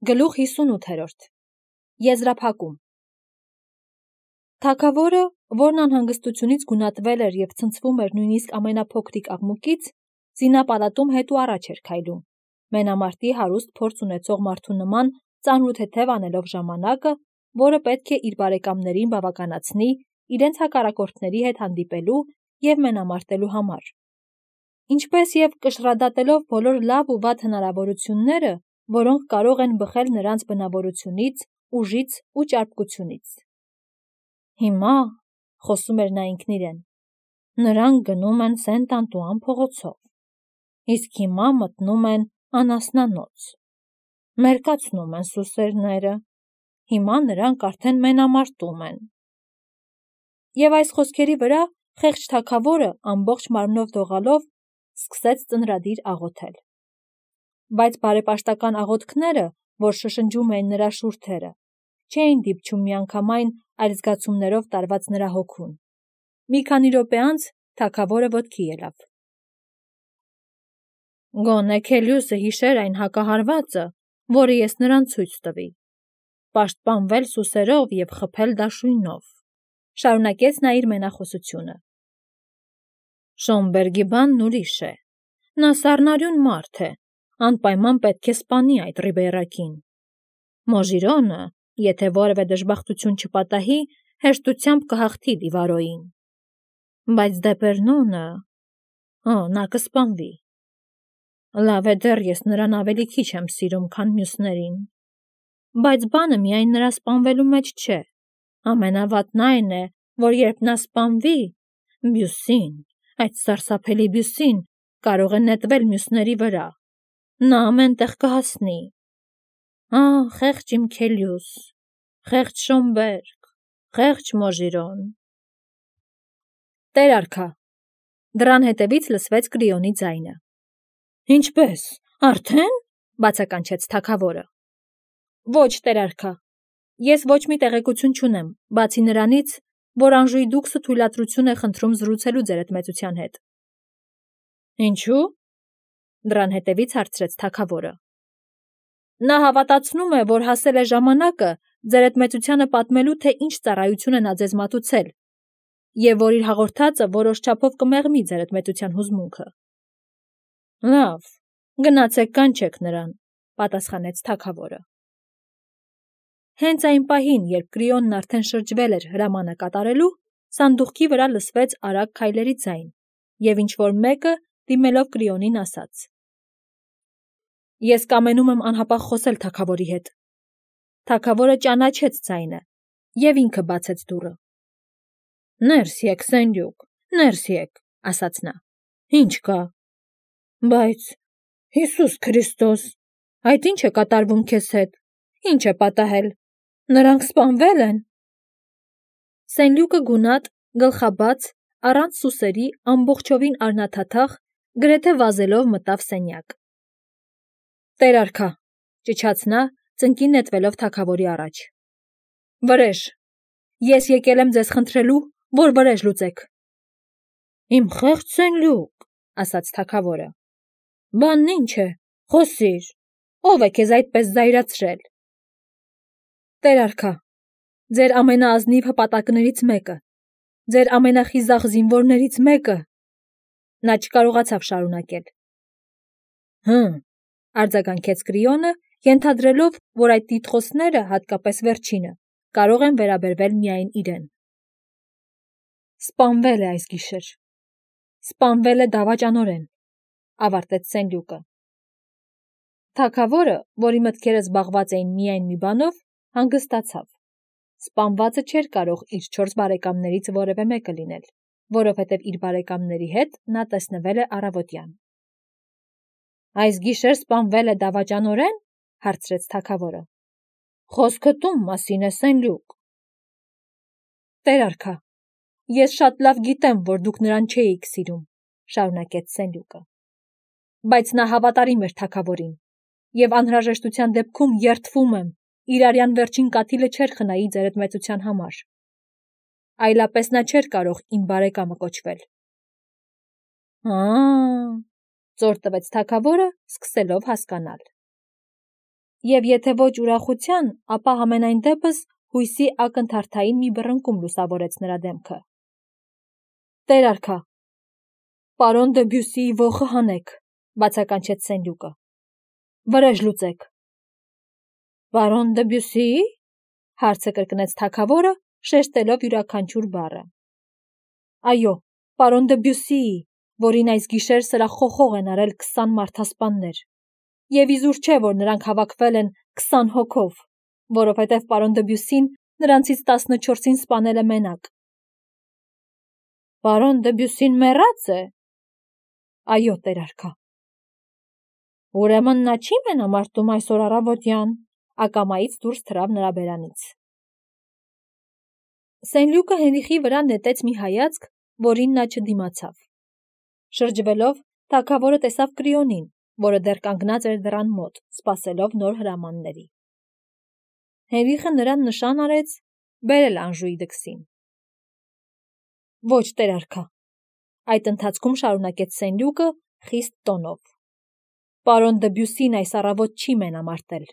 Գլուխ 58 Եզրափակում Թագավորը, որն անհանգստությունից գունատվել էր և ցնցվում էր նույնիսկ ամենափոքրիկ աղմուկից, զինապալատում հետ ու առաջ էր քայլում, մենամարտի հարուստ փորձ ունեցող մարդու նման ծանրութեթև անելով ժամանակը, որը պետք է իր բարեկամներին բավականացնի իրենց հակառակորդների հետ հանդիպելու և մենամարտելու համար, ինչպես և կշռադատելով բոլոր լավ ու վատ հնարավորությունները, որոնք կարող են բխել նրանց բնավորությունից, ուժից ու ճարպկությունից։ Հիմա, խոսում էր նա ինքն իրեն, նրանք գնում են Սենտ-Անտուան փողոցով, իսկ հիմա մտնում են անասնանոց, մերկացնում են սուսերները, հիմա նրանք արդեն մենամարտում են։ Եվ այս խոսքերի վրա խեղճ թագավորը ամբողջ մարմնով դողալով սկսեց ծնրադիր աղոթել։ Բայց բարեպաշտական աղոթքները, որ շշնջում էին նրա շուրթերը, չէին դիպչում միանգամայն այլ զգացումներով տարված նրա հոգուն։ Մի քանի րոպե անց թագավորը ոտքի ելավ։ Գոնե Քելիոսը հիշեր այն հակահարվածը, որը ես նրան ցույց տվի, պաշտպանվել սուսերով և խփել դաշույնով, շարունակեց նա իր մենախոսությունը։ Շոմբերգի բանն ուրիշ է, նա սառնարյուն մարդ է, անպայման պետք է սպանի այդ Ռիբեյրակին։ Մոժիրոնը, եթե որևէ դժբախտություն չպատահի, հեշտությամբ կհաղթի Դիվարոյին։ Բայց Դեպերնոնը, նա կսպանվի։ Լավ է դեռ ես նրան ավելի քիչ եմ սիրում, քան մյուսներին։ Բայց բանը միայն նրա սպանվելու մեջ չէ։ Ամենավատն այն է, որ երբ նա սպանվի, Բյուսին, այդ սարսափելի Բյուսին, կարող է նետվել մյուսների վրա։ Նա ամեն տեղ կհասնի։ Խեղճ իմ Քելիոս, խեղճ Շոմբերգ, խեղճ Մոժիրոն։ Տեր արքա, դռան հետևից լսվեց Կրիոնի ձայնը։ Ինչպե՞ս, արդեն, բացականչեց թագավորը։ Ոչ, տեր արքա, ես ոչ մի տեղեկություն չունեմ, բացի նրանից, որ Անժուի դուքսը թույլատրություն է խնդրում զրուցելու ձեր մեծության հետ։ Ինչու՞։ Դռան հետևից հարցրեց թագավորը։ Նա հավատացնում է, որ հասել է ժամանակը ձեր մեծությանը պատմելու, թե ինչ ծառայություն է նա ձեզ մատուցել, և որ իր հաղորդածը որոշ չափով կմեղմի ձեր մեծության հուզմունքը։ Լավ, գնացեք կանչեք նրան, պատասխանեց թագավորը։ Հենց այն պահին, երբ Կրիոնն արդեն շրջվել էր հրամանը կատարելու, սանդուղքի վրա լսվեց արագ քայլերի ձայն, և ինչ-որ մեկը, դիմելով Կրիոնին, ասաց. Ես կամենում եմ անհապաղ խոսել թագավորի հետ։ Թագավորը ճանաչեց ձայնը, և ինքը բացեց դուռը։ Ներս եկ, Սենյուկ, ներս եկ, ասաց նա։ Ինչ կա։ Բայց, Հիսուս Քրիստոս, այդ ինչ է կատարվում քեզ հետ, ինչ է պատահել, նրանք սպանվել են։ Սենյուկը գունատ, գլխաբաց, առանց սուսերի, ամբողջովին արնաթաթախ, գրեթե վազելով մտավ սենյակ։ Տեր արքա, ճչաց նա, ծնկին նետվելով թագավորի առաջ։ Վրեժ, ես եկել եմ ձեզ խնդրելու, որ վրեժ լուծեք։ Իմ խեղճ Սենյուկ, ասաց թագավորը։ Բանն ինչ է, խոսիր, ով է քեզ այդպես զայրացրել։ Տեր արքա, ձեր ամենաազնիվ հպատակներից մեկը, ձեր ամենախիզախ զինվորներից մեկը։ Նա չկարողացավ շարունակել։ Արձագանքեց Կրիոնը, ենթադրելով, որ այդ տիտղոսները, հատկապես վերջինը, կարող են վերաբերվել միայն իրեն։ Սպանվել է այս գիշեր։ Սպանվել է դավաճանորեն, ավարտեց Սենյուկը։ Թագավորը, որի մտքերը զբաղված էին միայն մի բանով, հանգստացավ։ Սպանվածը չէր կարող իր 4 բարեկամներից որևէ մեկը լինել, որովհետև իր բարեկամների հետ նա տեսնվել է առավոտյան։ Այս գիշեր սպանվել է դավաճանորեն, հարցրեց թագավորը։ Խոսքդ ում մասին է, Սենյուկ։ Տեր արքա, ես շատ լավ գիտեմ, որ դուք նրան չէիք սիրում, շարունակեց Սենյուկը։ Բայց նա հավատարիմ էր թագավորին, և անհրաժեշտության դեպքում երդվում եմ, իր արյան վերջին կաթիլը չէր խնայի ձեր մեծության համար։ Այլապես նա չէր կարող իմ բարեկամը կոչվել։ Ծոր տվեց թագավորը, սկսելով հասկանալ։ Եվ եթե ոչ ուրախության, ապա համենայն դեպս հույսի ակնթարթային մի բռնկում լուսավորեց նրա դեմքը։ Տեր արքա, պարոն Դեբյուսիի ոխը հանեք, բացականչեց Սենլյուկը։ Վրեժ լուծեք։ Պարոն Դեբյուսի՞, հարցը կրկնեց թագավորը, շեշտելով յուրաքանչյուր բառը։ Այո, պարոն Դեբյուսիի, որին այս գիշեր սրախոխող են արել 20 մարդասպաններ։ Եվ իզուր չէ, որ նրանք հավաքվել են 20 հոգով, որովհետև պարոն Դեբյուսին նրանցից 14-ին սպանել է մենակ։ Պարոն Դեբյուսին մեռած է։ Այո, տեր արքա։ Ուրեմն նա չի մենամարտում այսօր առավոտյան, ակամայից դուրս թռավ նրա բերանից։ Սենլյուկը Հենրիխի վրա նետեց մի հայացք, որին նա չդիմացավ։ Շրջվելով, թագավորը տեսավ Կրիոնին, որը դեռ կանգնած էր դռան մոտ, սպասելով նոր հրամանների։ Հենրիխը նրան նշան արեց բերել Անժուի դքսին։ Ոչ, տեր արքա, այդ ընթացքում շարունակեց Սենլյուկը խիստ տոնով։ Պարոն Դեբյուսին այս առավոտ չի մենամարտել։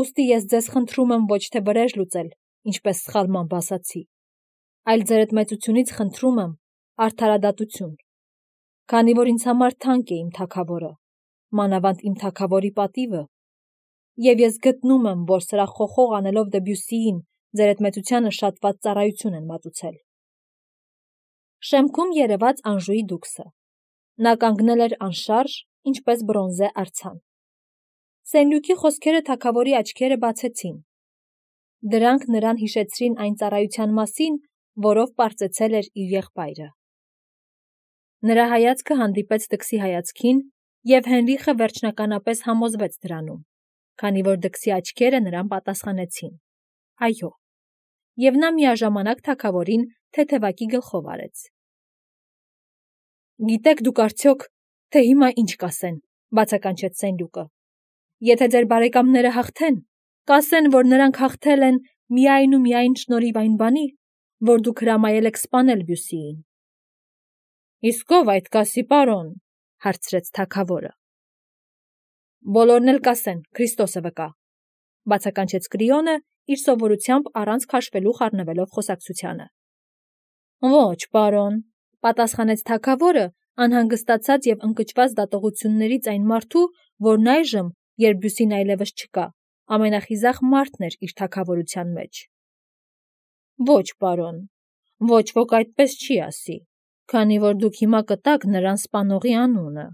Ուստի ես ձեզ խնդրում եմ ոչ թե վրեժ լուծել, ինչպես սխալմամբ ասացի, այլ ձեր մեծությունից խնդրում եմ արդարադատություն, քանի որ ինձ համար թանկ է իմ թագավորը, մանավանդ իմ թագավորի պատիվը, եւ ես գտնում եմ, որ սրա խոխող անելով Դեբյուսիին ձեր մեծությանը շատված ծառայություն են մատուցել։ Շեմքում երևաց Անժուի դուքսը։ Նա կանգնել էր անշարժ, ինչպես բրոնզե արձան։ Սենլյուկի խոսքերը թագավորի աչքերը բացեցին։ Դրանք նրան հիշեցրին այն ծառայության մասին, որով պարծեցել էր իր եղբայրը։ Նրա հայացքը հանդիպեց դքսի հայացքին, եւ Հենրիխը վերջնականապես համոզվեց դրանում, քանի որ դքսի աչքերը նրան պատասխանեցին. այո, եւ նա միաժամանակ թագավորին թեթևակի գլխով արեց։ Գիտեք դուք արդյոք, թե հիմա ինչ կասեն, բացականչեց Սենլյուկը։ Եթե ձեր բարեկամները հաղթեն, կասեն, որ նրանք հաղթել են միայն ու միայն շնորհիվ այն բանի, որ դուք հրամայել եք սպանել Բյուսիին։ Իսկ ով այդ կասի, պարոն, հարցրեց թագավորը։ Բոլորն էլ կասեն, Քրիստոսը վկա, բացականչեց Կրիոնը, իր սովորությամբ առանց քաշվելու խառնվելով խոսակցությանը։ Ոչ, պարոն, պատասխանեց թագավորը, անհանգստացած եւ ընկճված դատողություններից այն մարդու, որն այժմ, երբ Բյուսին այլևս չկա, ամենախիզախ մարդն էր իր թագավորության մեջ։ Ոչ, պարոն, ոչ ոք այդպես չի ասի, քանի որ դուք հիմա կտաք նրան սպանողի անունը։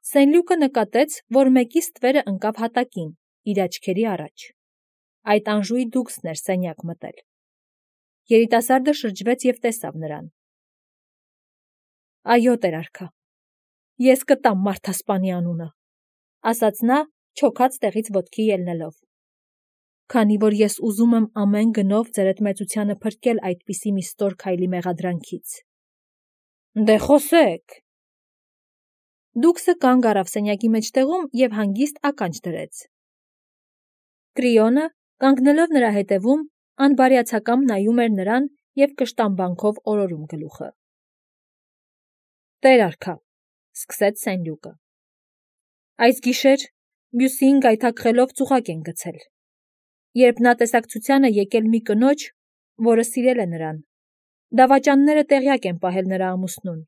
Սենլյուկը նկատեց, որ մեկի ստվերը ընկավ հատակին, իր աչքերի առաջ։ Այդ Անժուի դուքսն էր սենյակ մտել։ Երիտասարդը շրջվեց եւ տեսավ նրան։ Այո, տեր արքա, ես կտամ մարդասպանի անունը, ասաց նա, չոքած տեղից ոտքի ելնելով։ Քանի որ ես ուզում եմ ամեն գնով ձեր մեծությանը փրկել այդպիսի մի ստոր քայլի մեղադրանքից։ Դե խոսեք։ Դուքսը կանգ առավ սենյակի մեջտեղում եւ հանգիստ ականջ դրեց։ Կրիոնը, կանգնելով նրա հետևում, անբարյացակամ նայում էր նրան եւ կշտամբանքով օրորում գլուխը։ Տեր արքա, սկսեց Սենլյուկը։ Այս գիշեր Բյուսիին գայթակղելով ծուղակ են գցել։ Երբ նա տեսակցությանը եկել մի կնոջ, որը սիրել է նրան, դավաճանները տեղյակ են պահել նրա ամուսնուն,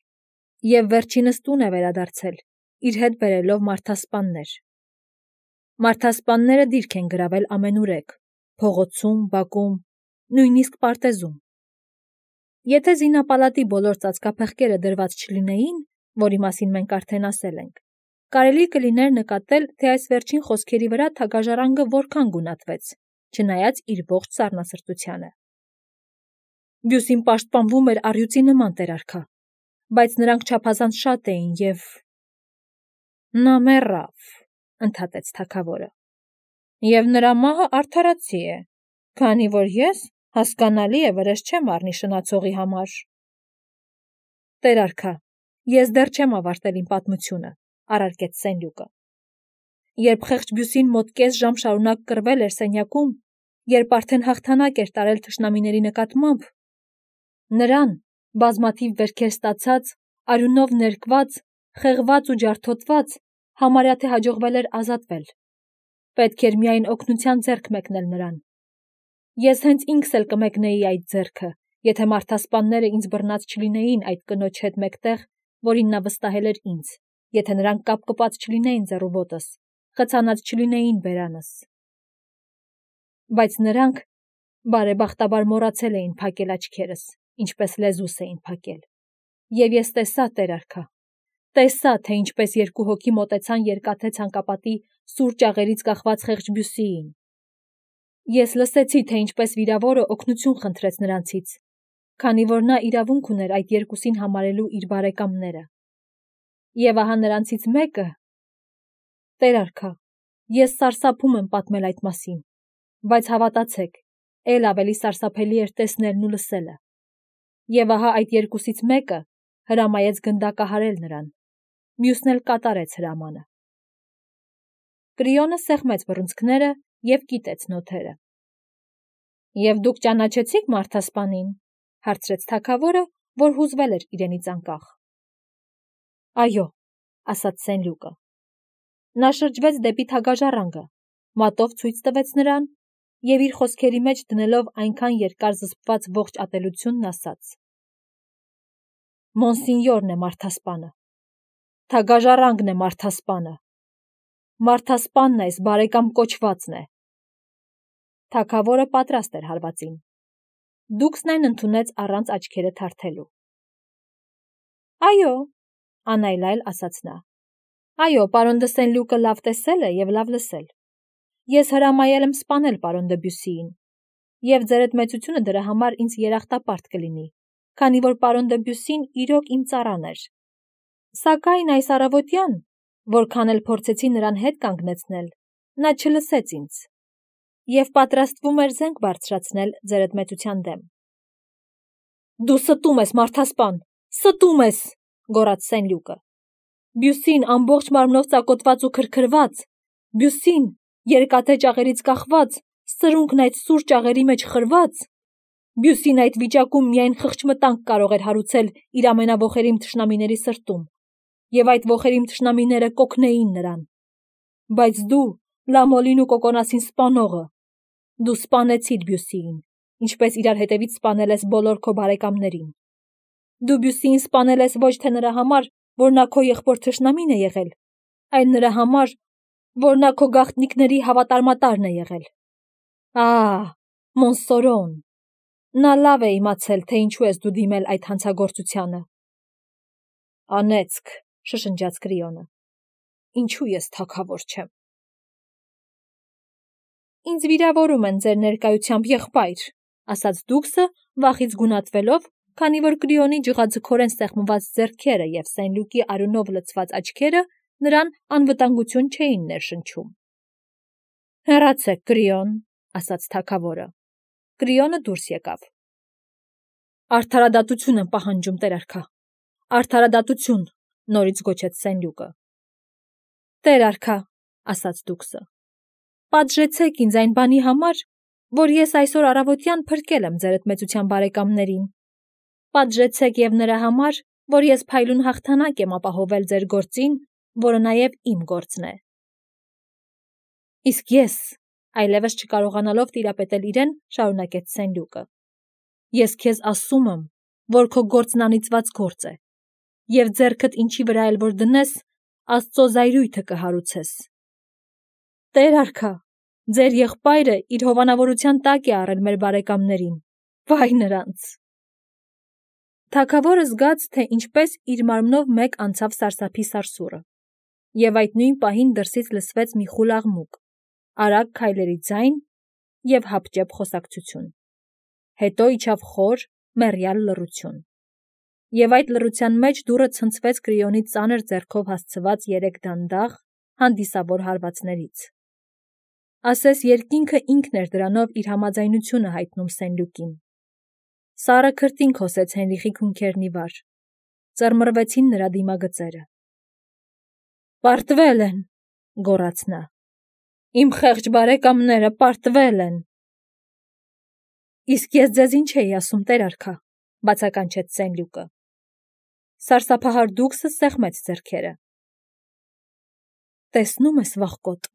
եւ վերջինս տուն է վերադարձել, իր հետ բերելով մարդասպաններ։ Մարդասպանները դիրք են գրավել ամենուրեք, փողոցում, բակում, նույնիսկ պարտեզում։ Եթե զինապալատի բոլոր ծածկափեղկերը դրված չլինեին, որի մասին մենք արդեն ասել ենք, կարելի կլիներ նկատել, թե այս վերջին խոսքերի վրա թագաժառանգը որքան գունատվեց, չնայած իր ողջ սառնասրտությանը։ Բյուսին պաշտպանվում էր առյուծի նման, տեր արքա, բայց նրանք չափազանց շատ էին եւ… Նա մեռավ, ընդհատեց թագավորը։ Եվ նրա մահը արդարացի է, քանի որ ես, հասկանալի է, վրեժ չեմ առնի շնացողի համար։ Տեր արքա, ես դեռ չեմ ավարտել իմ պատմությունը, առարկեց Սենլյուկը։ Երբ խեղճ Բյուսին մոտ կես ժամ շարունակ կռվել էր սենյակում, երբ արդեն հաղթանակ էր տարել թշնամիների նկատմամբ, նրան, բազմաթիվ վերքեր ստացած, արյունով ներկված, խեղված ու ջարդոտված, համարյա թե հաջողվել էր ազատվել, Պետք էր միայն օգնության ձեռք մեկնել նրան։ Ես հենց ինքս էլ կմեկնեի այդ ձեռքը, եթե մարդասպանները ինձ բռնած չլինեին այդ կնոջ հետ մեկտեղ, որին նա վստահել էր ինձ, եթե նրանք կապկպած չլինեին ձեռուոտս, խցանած չլինեին բերանս։ Բայց նրանք բարեբախտաբար մոռացել էին փակել աչքերս, ինչպես լեզուս էին փակել։ Եվ ես տեսա, Տեր արքա, տեսա, թե ինչպես երկու հոգի մոտեցան երկաթե ցանկապատի սուր ճաղերից կախված խեղճ Բյուսիին։ Ես լսեցի, թե ինչպես վիրավորը օգնություն խնդրեց նրանցից, քանի որ նա իրավունք ուներ այդ երկուսին համարելու իր բարեկամները։ Եվ ահա նրանցից մեկը… Տեր արքա, ես սարսափում եմ պատմել այդ մասին, բայց հավատացեք, էլ ավելի սարսափելի էր տեսնելն ու լսելը։ Եվ ահա այդ երկուսից մեկը հրամայեց գնդակահարել նրան, մյուսն էլ կատարեց հրամանը։ Կրիոնը սեղմեց բռունցքները և կիտեց նոթերը։ Եվ դուք ճանաչեցի՞ք մարդասպանին, հարցրեց թագավորը, որ հուզվել էր իրենից անկախ։ Այո, ասաց Սենլյուկը։ Նա շրջվեց դեպի թագաժառանգը, մատով ցույց տվեց նրան և իր խոսքերի մեջ դնելով այնքան երկար զսպված ողջ ատելությունն ասաց. Մոնսինյորն է մարդասպանը, թագաժառանգն է մարդասպանը, մարդասպանն այս բարեկամ կոչվածն է։ Թագավորը պատրաստ էր հարվածին։ Դուքսն այն ընդունեց առանց աչքերը թարթելու։ Այո, անայլայլ ասաց նա։ Այո, պարոն դը Սենլյուկը լավ տեսել է և լավ լսել։ Ես հրամայել եմ սպանել պարոն դը Բյուսիին, և ձերդ մեծությունը դրա համար ինձ երախտապարտ կլինի, քանի որ պարոն դը Բյուսին իրոք իմ ծառան էր։ Սակայն այս առավոտյան, որքան էլ փորձեցի նրան հետ կանգնեցնել, նա չլսեց ինձ և պատրաստվում էր զենք բարձրացնել ձերդ մեծության դեմ։ Դու ստում ես, մարդասպան, ստում ես, գոռաց Սենլյուկը։ Բյուսին ամբողջ մարմնով ծակոտված ու քրքրված, Բյուսին երկաթե ճաղերից կախված, սրունքն այդ սուր ճաղերի մեջ խրված, Բյուսին այդ վիճակում միայն խղճմտանք կարող էր հարուցել իր ամենաոխերիմ թշնամիների սրտում, և այդ ոխերիմ թշնամիները կօգնեին նրան։ Բայց դու, Լամոլին ու Կոկոնասին սպանողը, դու սպանեցիր Բյուսիին, ինչպես իրար հետևից սպանել ես բոլոր քո բարեկամներին։ Դու Բյուսիին սպանել ես ոչ թե նրա համար, որ նա քո եղբոր թշնամին է եղել, այլ նրա համար, որ նա քո գաղտնիքների հավատարմատարն է եղել։ Մոնսորոն, նա լավ է իմացել, թե ինչու ես դու դիմել այդ հանցագործությանը։ Անեծք, շշնջաց Կրիոնը, ինչու ես թագավոր չեմ։ Ինձ վիրավորում են ձեր ներկայությամբ, եղբայր, ասաց Դուքսը, վախից գունատվելով, քանի որ Կրիոնի ջղաձգորեն սեղմված ձեռքերը և Սենլյուկի արյունով լցված աչքերը նրան անվտանգություն չէին ներշնչում։ Հեռացեք, Կրիոն, ասաց թագավորը։ Կրիոնը դուրս եկավ։ Արդարադատություն եմ պահանջում, Տեր արքա, արդարադատություն, նորից գոչեց Սենլյուկը։ Տեր արքա, ասաց Դուքսը, պատժեցեք ինձ այն բանի համար, որ ես այսօր առավոտյան փրկել եմ ձերդ մեծության բարեկամներին։ Պատժեցեք և նրա համար, որ ես փայլուն հաղթանակ եմ ապահովել ձեր գործին, որը նաև իմ գործն է։ Իսկ ես, այլևս չկարողանալով տիրապետել իրեն, շարունակեց Սենլյուկը, ես քեզ ասում եմ, որ քո գործն անիծված գործ է, և ձեռքդ ինչի վրա էլ որ դնես, Աստծո զայրույթը կհարուցես։ Տեր արքա, ձեր եղբայրը իր հովանավորության տակ է առել մեր բարեկամներին, վայ նրանց։ Թագավորը զգաց, թե ինչպես իր մարմնով մեկ անցավ սարսափի սարսուռը, և այդ նույն պահին դրսից լսվեց մի խուլ աղմուկ, արագ քայլերի ձայն և հապճեպ խոսակցություն։ Հետո իջավ խոր, մեռյալ լռություն։ Եվ այդ լռության մեջ դուռը ցնցվեց Կրիոնի ծանր ձեռքով հասցված 3 դանդաղ, հանդիսավոր հարվածներից։ Ասես երկինքը ինքն էր դրանով իր համաձայնությունը հայտնում Սենլյուկին։ Սառը քրտինք հոսեց Հենրիխի քունքերն ի վար։ Ծռմռվեցին նրա դիմագծերը։ Պարտվել են, գոռաց նա։ Իմ խեղճ բարեկամները պարտվել են։ Իսկ ես ձեզ ինչ էի ասում, Տեր արքա, բացականչեց Սենլյուկը։ Սարսափահար Դուքսը սեղմեց ձեռքերը։ Տեսնում ես, վախկոտ,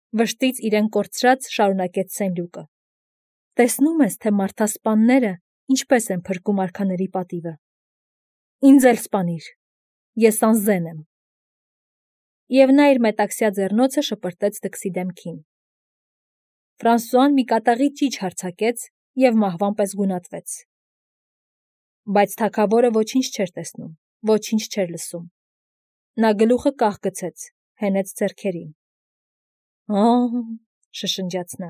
Վշտից իրեն կորցրած շարունակեց Սենլյուկը։ Տեսնում ես, թե մարդասպանները ինչպես են փրկում արքաների պատիվը։ Ինձ էլ սպանիր, ես անզեն եմ։ Եվ նա իր մետաքսյա ձեռնոցը շպրտեց դքսի դեմքին։ Ֆրանսուան մի կատաղի ճիչ հարձակեց և մահվան պես գունատվեց։ Բայց թագավորը ոչինչ չէր տեսնում, ոչինչ չէր լսում։ Նա գլուխը կախ գցեց, հենեց ձեռքերին։ Շշնջաց նա,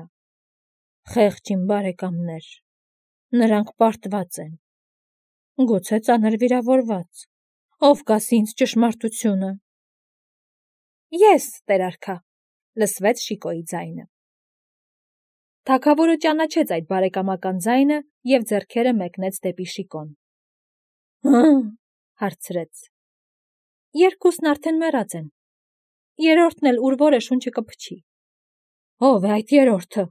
խեղճ իմ բարեկամներ, նրանք պարտված են, գուցե ծանր վիրավորված, ով կասի ինձ ճշմարտությունը։ Ես, տեր արքա, լսվեց Շիկոյի ձայնը։ Թագավորը ճանաչեց այդ բարեկամական ձայնը և ձեռքերը մեկնեց դեպի Շիկոն։ Հարցրեց. Երկուսն արդեն մեռած են։ Երրորդն էլ ուր որը շունչը կփչի։ Ո՞վ է այդ երրորդը։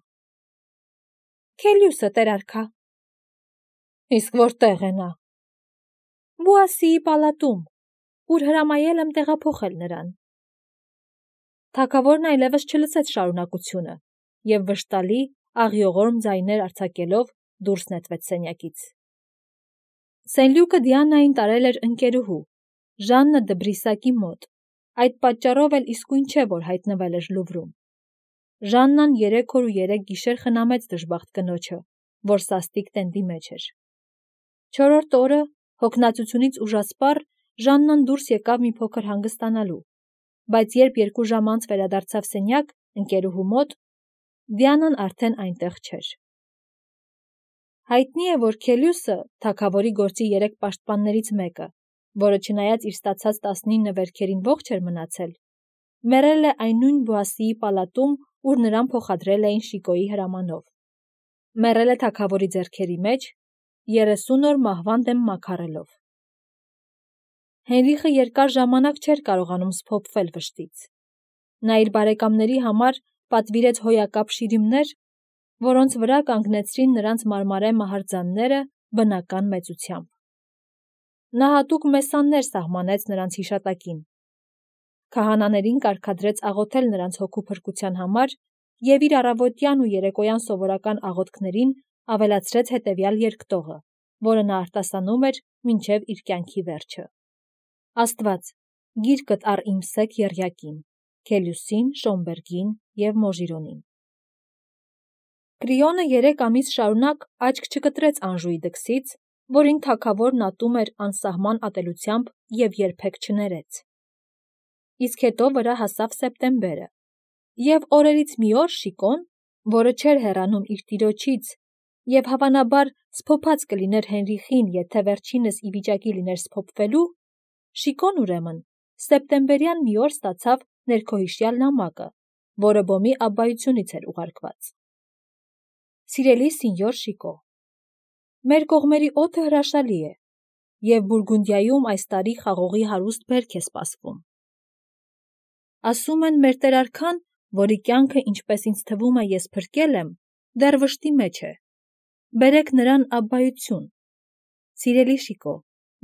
Քելիուսը, տեր արքա։ Իսկ որտեղ է նա։ Բուասիի պալատում, ուր հրամայել եմ տեղափոխել նրան։ Թագավորն այլևս չլսեց շարունակությունը և վշտալի, աղիողորմ ձայներ արձակելով դուրս նետվեց սենյակից։ Սենլյուկը Դիանային տարել էր ընկերուհու, Ժաննը դը Բրիսակի մոտ, այդ պատճառով էլ իսկույն չէ, որ հայտնվել էր Լուվրում։ Ժաննան 3 օր ու 3 գիշեր խնամեց դժբախտ կնոջը, որ սաստիկ տենդի մեջ էր։ 4-րդ օրը, հոգնածությունից ուժասպառ, Ժաննան դուրս եկավ մի փոքր հանգստանալու, բայց երբ 2 ժամ անց վերադարձավ սենյակ, ընկերուհու մոտ, Դիանան արդեն այնտեղ չէր։ Հայտնի է, որ Քելիուսը, թագավորի գործի 3 պաշտպաններից մեկը, որը չնայած իր ստացած 19 վերքերին ողջ էր մնացել, մեռել է այն նույն Բուասիի պալատում, ուր նրան փոխադրել էին Շիկոյի հրամանով։ Մեռել է թագավորի ձեռքերի մեջ, 30 օր մահվան դեմ մաքարելով։ Հենրիխը երկար ժամանակ չէր կարողանում սփոփվել վշտից։ Նա իր բարեկամների համար պատվիրեց հոյակապ շիրիմներ, որոնց վրա կանգնեցրին նրանց մարմարե մահարձանները բնական մեծությամբ։ Նա հատուկ մեսաններ սահմանեց նրանց հիշատակին։ Քահանաներին կարգադրեց աղոթել նրանց հոգու փրկության համար և իր առավոտյան ու երեկոյան սովորական աղոթքներին ավելացրեց հետևյալ երկտողը, որը նա արտասանում էր մինչև իր կյանքի վերջը. Աստված, գիրկդ առ իմ սեկ եռյակին, Քելիուսին, Շոմբերգին և Մոժիրոնին։ Կրիոնը 3 ամիս շարունակ աչք չկտրեց Անժուի դքսից, որին թագավորն ատում էր անսահման ատելությամբ և երբեք չներեց։ Իսկ հետո վրա հասավ սեպտեմբերը, և օրերից մի օր Շիկոն, որը չէր հեռանում իր տիրոջից և հավանաբար սփոփած կլիներ Հենրիխին, եթե վերջինս ի վիճակի լիներ սփոփվելու, Շիկոն ուրեմն սեպտեմբերյան մի օր ստացավ ներքոհիշյալ նամակը, որը Բոմի աբբայությունից էր ուղարկված։ Սիրելի Սինյոր Շիկո, մեր կողմերի օդը հրաշալի է, և Բուրգունդիայում այս տարի խաղողի հարուստ բերք է սպասվում։ Ասում են, մեր տեր արքան, որի կյանքը, ինչպես ինձ թվում է, ես փրկել եմ, դեռ վշտի մեջ է։ Բերեք նրան աբբայություն։ Սիրելի Շիկո,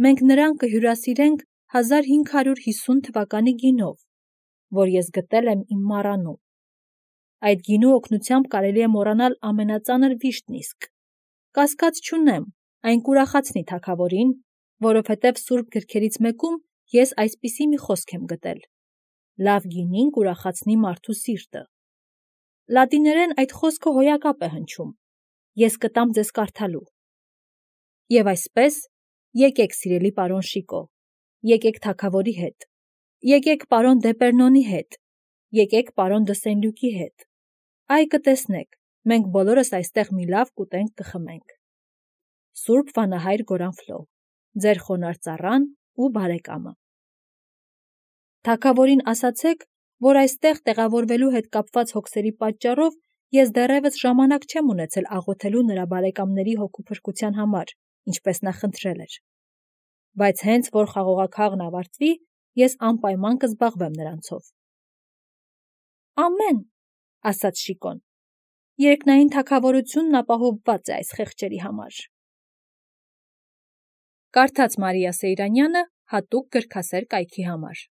մենք նրան կհյուրասիրենք 1550 թվականի գինով, որ ես գտել եմ իմ մառանում։ Այդ գինու օգնությամբ կարելի է մոռանալ ամենածանր վիշտն իսկ։ Կասկած չունեմ, այն կուրախացնի թագավորին, որովհետև սուրբ գրքերից մեկում ես այսպիսի մի խոսք եմ գտել. լավ գինին կուրախացնի մարդու սիրտը։ Լատիներեն այդ խոսքը հոյակապ է հնչում։ Ես կտամ ձեզ կարդալու։ Եվ այսպես, եկեք, սիրելի պարոն Շիկո, եկեք թագավորի հետ, եկեք պարոն Դեպերնոնի հետ, եկեք պարոն դը Սենլյուկի հետ։ Այ կտեսնեք, մենք բոլորս այստեղ մի լավ կուտենք կխմենք։ Սուրբ Վանահայր Գորանֆլո, ձեր խոնարհ ծառան ու բարեկամը։ Թագավորին ասացեք, որ այստեղ տեղավորվելու հետ կապված հոգսերի պատճառով ես դեռևս ժամանակ չեմ ունեցել աղոթելու նրա բարեկամների հոգու փրկության համար, ինչպես նա խնդրել էր։ Բայց հենց որ խաղողաքաղն ավարտվի, ես անպայման կզբաղվեմ նրանցով։ Ամեն, ասաց Շիկոն, երկնային թագավորությունն ապահովված է այս խեղճերի համար։ Կարդաց Մարիա Սեյրանյանը հատուկ գրքասեր կայքի համար։